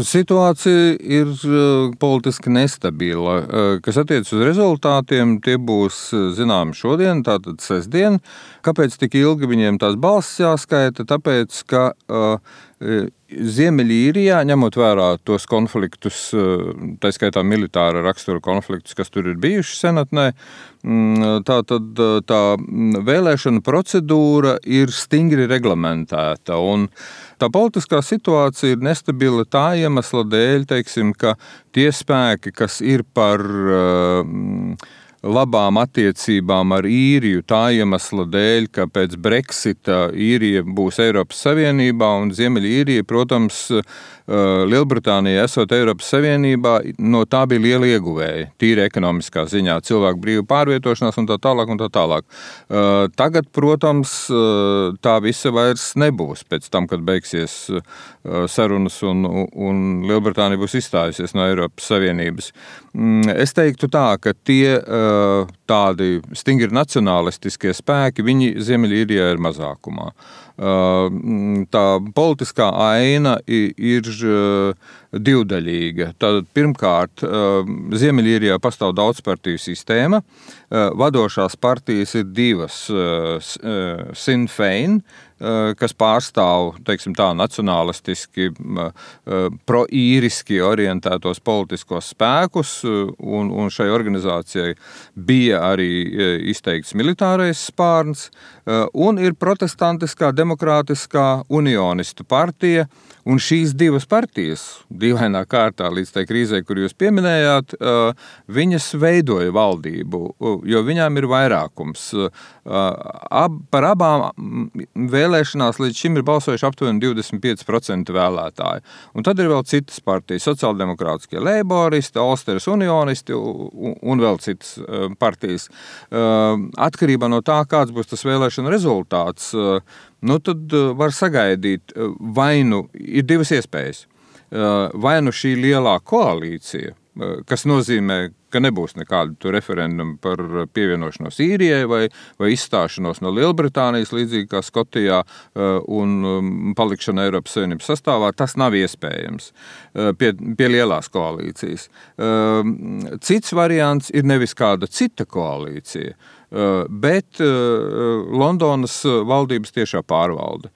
Situācija ir politiski nestabila. Kas attiec uz rezultātiem, tie būs zināmi šodien, tātad sestdien. Kāpēc tik ilgi viņiem tās balsis jāskaita? Tāpēc, ka Ziemeļīrijā, ņemot vērā tos konfliktus, tā skaitā militāra rakstura konfliktus, kas tur ir bijuši senatnē, tātad tā vēlēšana procedūra ir stingri reglamentēta. Un tā politiskā situācija ir nestabila tā iemesla dēļ, teiksim, ka tie spēki, kas ir par labām attiecībām ar Īriju tā iemesla dēļ, ka pēc Brexita Īrija būs Eiropas Savienībā un Ziemeļīrija, protams, Lielbritānija esot Eiropas Savienībā, no tā bija liela ieguvēja, tīri ekonomiskā ziņā, cilvēku brīvu pārvietošanās un tā tālāk un tā tālāk. Tagad, protams, tā visa vairs nebūs pēc tam, kad beigsies sarunas un Lielbritānija būs izstājusies no Eiropas Savienības. Es teiktu tā, ka tie tādi stingri nacionālistiskie spēki, viņi Ziemeļīrijā ir mazākumā. Tā politiskā aina ir divdaļīga. Tātad pirmkārt, Ziemeļīrijā pastāv daudzpartiju sistēma. Vadošās partijas ir divas, Sinn Fein, kas pārstāv, teiksim tā, nacionālistiski, pro-īriski orientētos politiskos spēkus, un šai organizācijai bija arī izteikts militārais spārns, un ir protestantiskā demokrātiskā unionistu partija, un šīs divas partijas, dīvainā kārtā līdz tai krīzē, kur jūs pieminējāt, viņas veidoja valdību, jo viņām ir vairākums. Par abām vēlēšanās līdz šim ir balsojuši aptuveni 25% vēlētāji. Un tad ir vēl citas partijas, sociāldemokrātiskie leiboristi, Ulsteras unionisti un vēl citas partijas. Atkarībā no tā, kāds būs tas vēlēšana rezultāts, tad var sagaidīt, vai nu ir divas iespējas. Vai nu šī lielā koalīcija, kas nozīmē, ka nebūs nekādu referendumu par pievienošanos Īrijai vai izstāšanos no Lielbritānijas, līdzīgi kā Skotijā, un palikšana Eiropas Savienības sastāvā, tas nav iespējams pie lielās koalīcijas. Cits variants ir nevis kāda cita koalīcija, bet Londonas valdības tiešā pārvalde,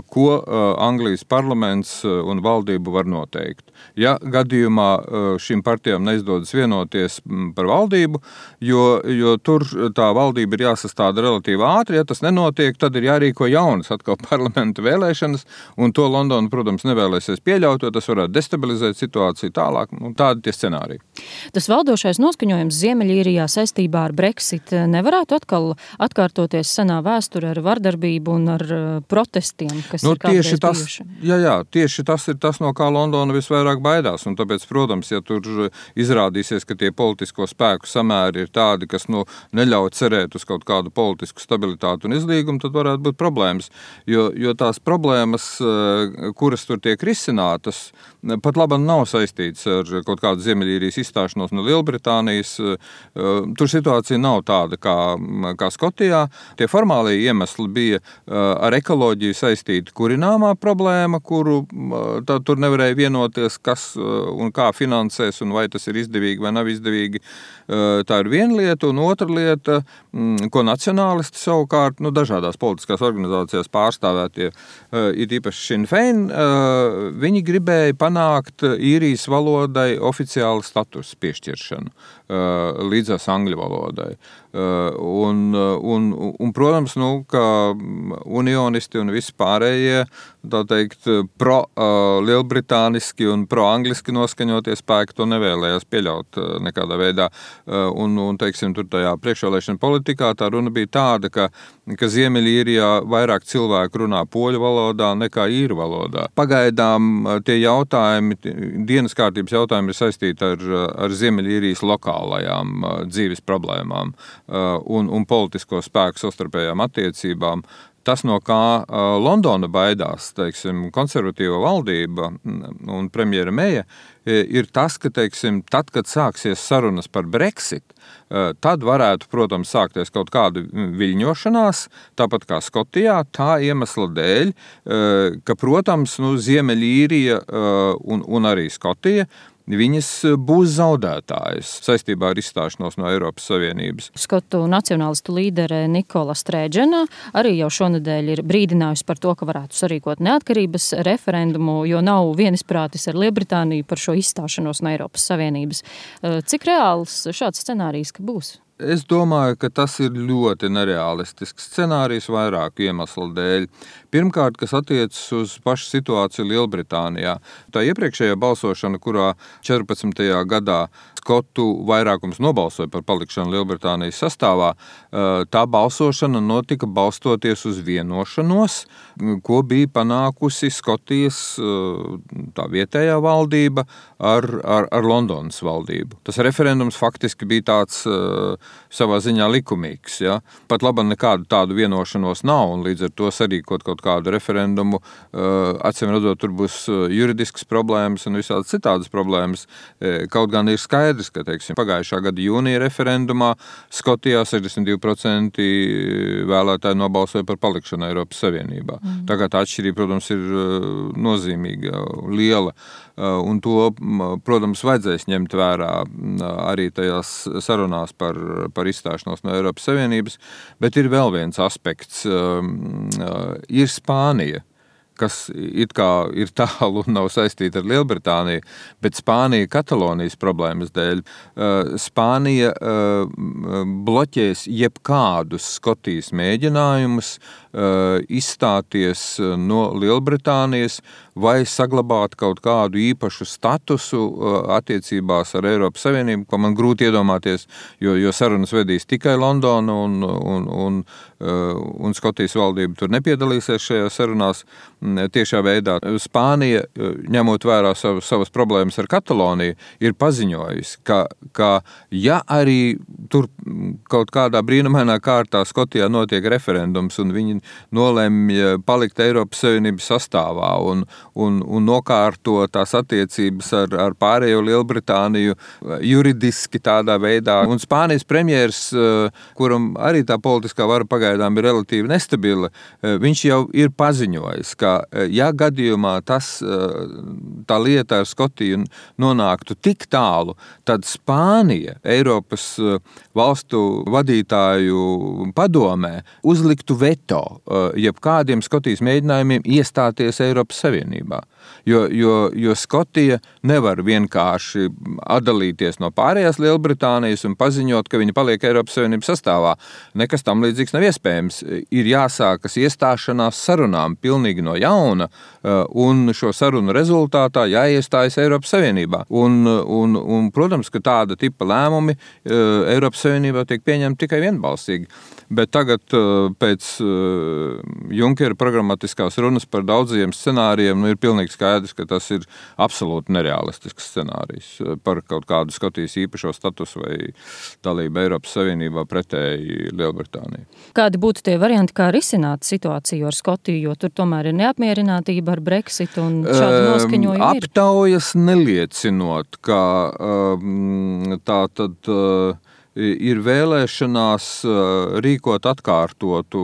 ko Anglijas parlaments un valdība var noteikt. Ja gadījumā šīm partijām neizdodas vienoties par valdību, jo tur tā valdība ir jāsastāda relatīvi ātri, ja tas nenotiek, tad ir jārīko jaunas atkal parlamenta vēlēšanas, un to Londona, protams, nevēlēsies pieļaut, jo tas varētu destabilizēt situāciju tālāk, un tādi tie scenāriji. Tas valdošais noskaņojums Ziemeļīrijā saistībā ar Brexit nevarētu atkal atkārtoties senā vēsture ar vardarbību un ar protestiem, kas ir kādreiz bijuši? Tieši tas ir tas, no kā Londona visvairāk baidās, un tāpēc, protams, ja tur izrādīsies, ka tie politisko spēku samēri ir tādi, kas neļauj cerēt uz kaut kādu politisku stabilitātu un izlīgumu, tad varētu būt problēmas, jo tās problēmas, kuras tur tiek risinātas, pat labam nav saistīts ar kaut kādu Ziemeļīrijas izstāšanos no Lielbritānijas. Tur situācija nav tāda kā Skotijā. Tie formālie iemesli bija ar ekoloģiju saistīta kurināmā problēma, kuru tur nevarēja vienoties, kas un kā finansēs un vai tas ir izdevīgi vai nav izdevīgi. Tā ir viena lieta, un otra lieta, ko nacionālisti savukārt, dažādās politiskās organizācijās pārstāvētie, ir īpaši Sinn Fein, viņi gribēja panākt īrijas valodai oficiālu statusu piešķiršanu līdzās angļu valodai. Un protams, ka unionisti un visi pārējie, tā teikt, pro-lielbritāniski un pro-angliski noskaņotie spēki to nevēlējās pieļaut nekādā veidā. Un teiksim, tur tajā priekšvēlēšana politikā tā runa bija tāda, ka Ziemeļīrijā vairāk cilvēku runā poļu valodā nekā īru valodā. Pagaidām tie jautājumi, dienas kārtības jautājumi ir saistīti ar Ziemeļīrijas lokālajām dzīves problēmām un politisko spēku savstarpējām attiecībām. tas, no kā Londona baidās, teiksim, konservatīva valdība un premjera Meja, ir tas, ka, teiksim, tad, kad sāksies sarunas par Brexit, tad varētu, protams, sākties kaut kāda viļņošanās, tāpat kā Skotijā, tā iemesla dēļ, ka, protams, Ziemeļīrija un arī Skotija, viņas būs zaudētājas saistībā ar izstāšanos no Eiropas Savienības. Skotu nacionālistu līdere Nikola Streiģena arī jau šonedēļ ir brīdinājusi par to, ka varētu sarīkot neatkarības referendumu, jo nav vienisprātis ar Lielbritāniju par šo izstāšanos no Eiropas Savienības. Cik reāls šāds scenārijs būs? Es domāju, ka tas ir ļoti nereālistisks scenārijs vairāku iemeslu dēļ. Pirmkārt, kas attiecas uz pašu situāciju Lielbritānijā. Tā iepriekšējā balsošana, kurā 14. gadā Skotu vairākums nobalsoja par palikšanu Lielbritānijas sastāvā, tā balsošana notika balstoties uz vienošanos, ko bija panākusi Skotijas tā vietējā valdība ar Londonas valdību. Tas referendums faktiski bija tāds savā ziņā likumīgs. Ja? Pat labi nekādu tādu vienošanos nav, un līdz ar to sarīkot kaut kādu referendumu, acīm redzot, tur būs juridiskas problēmas un visādas citādas problēmas. Kaut gan ir skaidrs, ka, teiksim, pagājušā gada jūnija referendumā Skotijā 62% vēlētāji nobalsoja par palikšanu Eiropas Savienībā. Tagad tā atšķirība, protams, ir nozīmīga, liela, un to, protams, vajadzēs ņemt vērā arī tajās sarunās par izstāšanos no Eiropas Savienības, bet ir vēl viens aspekts. Ir Spānija, kas it kā ir tālu un nav saistīta ar Lielbritāniju, bet Spānija Katalonijas problēmas dēļ. Spānija bloķēs jebkādus Skotijas mēģinājumus izstāties no Lielbritānijas vai saglabāt kaut kādu īpašu statusu attiecībās ar Eiropas Savienību, ko man grūti iedomāties, jo sarunas vedīs tikai Londona un Skotijas valdība tur nepiedalīsies šajās sarunās tiešā veidā. Spānija, ņemot vērā savas problēmas ar Kataloniju, ir paziņojusi, ka ja arī tur kaut kādā brīnumainā kārtā Skotijā notiek referendums un viņi nolemj palikt Eiropas Savienības sastāvā un nokārto tās attiecības ar pārējo Lielbritāniju juridiski tādā veidā. Un Spānijas premjers, kuram arī tā politiskā vara pagaidām ir relatīvi nestabila, viņš jau ir paziņojis, ka ja gadījumā tā lieta ar Skotiju nonāktu tik tālu, tad Spānija Eiropas valstu vadītāju padomē uzliktu veto jebkādiem Skotijas mēģinājumiem iestāties Eiropas Savienībā. Jo Skotija nevar vienkārši atdalīties no pārējās Lielbritānijas un paziņot, ka viņa paliek Eiropas Savienības sastāvā. Nekas tam līdzīgs nav iespējams. Ir jāsākas iestāšanās sarunām pilnīgi no jauna, un šo sarunu rezultātā jāiestājas Eiropas Savienībā. Un, protams, ka tāda tipa lēmumi Eiropas Savienībā tiek pieņemti tikai vienbalsīgi. Bet tagad pēc Junkera programmatiskās runas par daudziem scenārijiem ir pilnīgi skaidrs, ka tas ir absolūti nereālistisks scenārijs par kaut kādu Skotijas īpašo statusu vai dalību Eiropas Savienībā pretēji Lielbritānijai. Kādi būtu tie varianti, kā risināt situāciju ar Skotiju, jo tur tomēr ir neapmierinātība ar Brexit un šādu noskaņojumu ir? Aptaujas neliecinot, ka tā tad ir vēlēšanās rīkot atkārtotu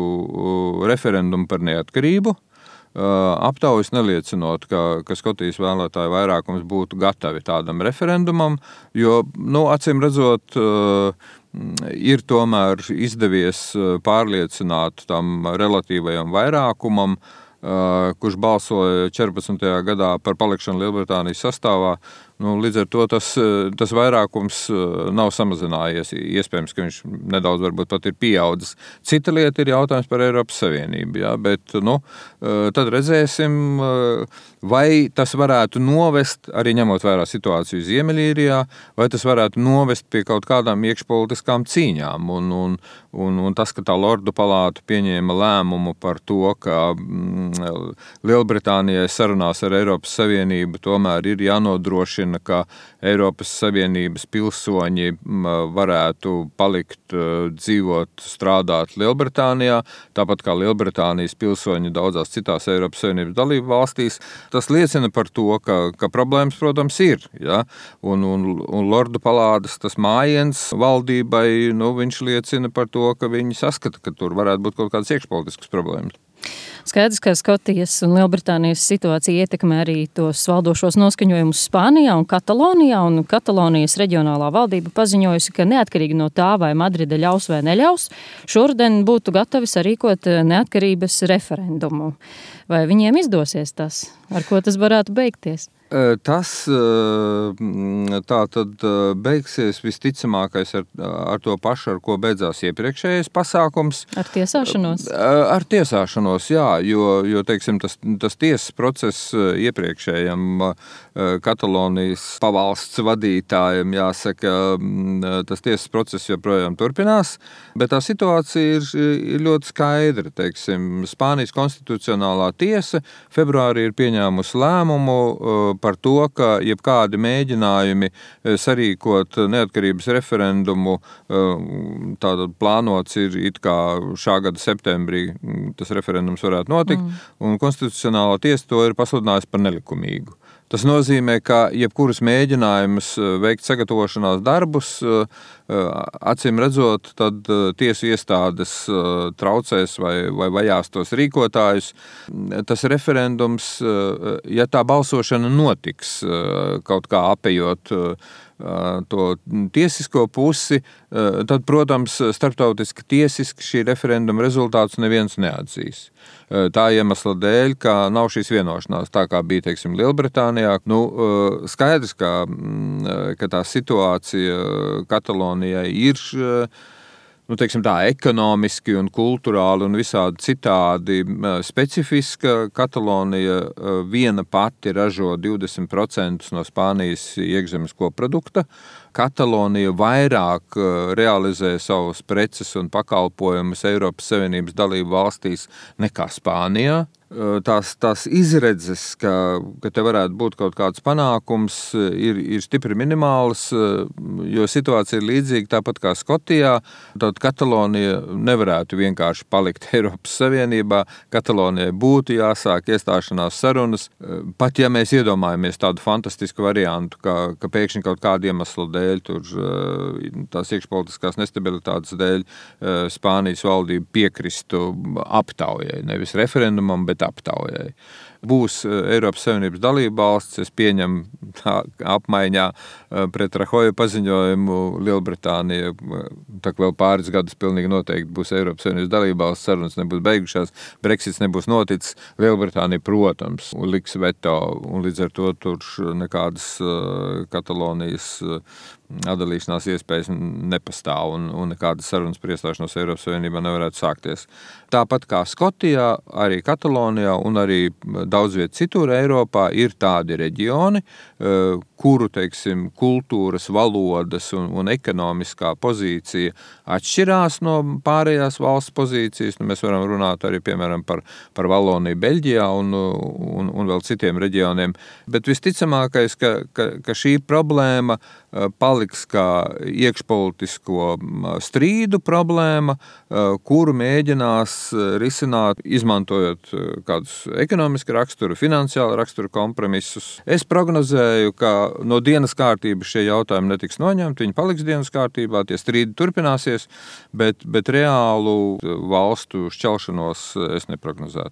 referendumu par neatkarību. Aptaujas neliecinot, ka Skotijas vēlētāju vairākums būtu gatavi tādam referendumam, jo, acīm redzot, ir tomēr izdevies pārliecināt tam relatīvajam vairākumam, kurš balsoja 14. gadā par palikšanu Lielbritānijas sastāvā. Līdz ar to tas vairākums nav samazinājies. Iespējams, ka viņš nedaudz varbūt pat ir pieaudzis. Cita lieta ir jautājums par Eiropas Savienību. Ja? Bet tad redzēsim, vai tas varētu novest, arī ņemot vērā situāciju Ziemeļīrijā, vai tas varētu novest pie kaut kādām iekšpolitiskām cīņām. Un tas, ka tā Lordu palāta pieņēma lēmumu par to, ka Lielbritānijai sarunās ar Eiropas Savienību tomēr ir jānodrošina nodrošina, ka Eiropas Savienības pilsoņi varētu palikt, dzīvot, strādāt Lielbritānijā, tāpat kā Lielbritānijas pilsoņi daudzās citās Eiropas Savienības dalību valstīs. Tas liecina par to, ka problēmas, protams, ir. Ja? Un Lordu palādes tas mājiens valdībai, viņš liecina par to, ka viņi saskata, ka tur varētu būt kaut kādas iekšpolitiskas problēmas. Skaidrs, ka Skotijas un Lielbritānijas situācija ietekmē arī tos valdošos noskaņojumus Spānijā un Katalonijā, un Katalonijas reģionālā valdība paziņojusi, ka neatkarīgi no tā, vai Madride ļaus vai neļaus, šoruden būtu gatavi sarīkot neatkarības referendumu. Vai viņiem izdosies tas? Ar ko tas varētu beigties? Tas tā tad beigsies visticamākais ar to pašu, ar ko beidzās iepriekšējais pasākums. Ar tiesāšanos? Ar tiesāšanos, jā, jo teiksim, tas tiesas process iepriekšējam Katalonijas pavalsts vadītājiem, jāsaka, tas tiesas process joprojām turpinās, bet tā situācija ir ļoti skaidra. Teiksim, Spānijas konstitucionālā tiesa februārī ir pieņēmusi lēmumu par to, ka jebkādi mēģinājumi sarīkot neatkarības referendumu, tātad plānots ir it kā šā gada septembrī tas referendums varētu notikt, un konstitucionālā tiesa to ir pasludinājusi par nelikumīgu. Tas nozīmē, ka jebkurus mēģinājumus veikt sagatavošanās darbus, acīm redzot, tad tiesu iestādes traucēs vai vajās tos rīkotājus. Tas referendums, ja tā balsošana notiks, kaut kā apejot to tiesisko pusi, tad, protams, starptautiski tiesiski šī referenduma rezultātus neviens neatzīs. Tā iemesla dēļ, ka nav šīs vienošanās, tā kā bija, teiksim, Lielbritānijā. Skaidrs, ka tā situācija Katalonijai ir, teiksim tā, ekonomiski un kulturāli un visādi citādi specifiska. Katalonija viena pati ražo 20% no Spānijas iekšzemes koprodukta. Katalonija vairāk realizē savus preces un pakalpojumus Eiropas Savienības dalību valstīs nekā Spānijā. Tās izredzes, ka te varētu būt kaut kāds panākums, ir stipri minimāls, jo situācija ir līdzīga tāpat kā Skotijā. Tad Katalonija nevarētu vienkārši palikt Eiropas Savienībā. Katalonijai būtu jāsāk iestāšanās sarunas. Pat ja mēs iedomājamies tādu fantastisku variantu, ka pēkšņi kaut kādu iemeslu dēļ, tās iekšpolitiskās nestabilitātes dēļ, Spānijas valdība piekristu aptaujai, nevis referendumam, bet aptaujai. Būs Eiropas Savienības dalība valsts, es pieņemu apmaiņā pret Rahoja paziņojumu Lielbritānija, tā vēl pāris gadus pilnīgi noteikti būs Eiropas Savienības dalība valsts, sarunas nebūs beigušās, Brexits nebūs noticis, Lielbritānija, protams, liks veto, un līdz ar to tur nekādas Katalonijas atdalīšanās iespējas nepastāv un nekādas sarunas par iestāšanos Eiropas Savienībā nevarētu sākties. Tāpat kā Skotijā, arī Katalonijā un arī daudz viet citur Eiropā ir tādi reģioni, kuru, teiksim, kultūras, valodas un ekonomiskā pozīcija atšķirās no pārējās valsts pozīcijas. Mēs varam runāt arī, piemēram, par Valoniju Beļģijā un vēl citiem reģioniem. Bet visticamākais, ka šī problēma paliks kā iekšpolitisko strīdu problēma, kuru mēģinās risināt, izmantojot kādus ekonomiski raksturu, finansiāli raksturu kompromisus. Es prognozēju, ka no dienas kārtības šie jautājumi netiks noņemti, viņi paliks dienas kārtībā, tie strīdi turpināsies, bet reālu valstu šķelšanos es neprognozētu.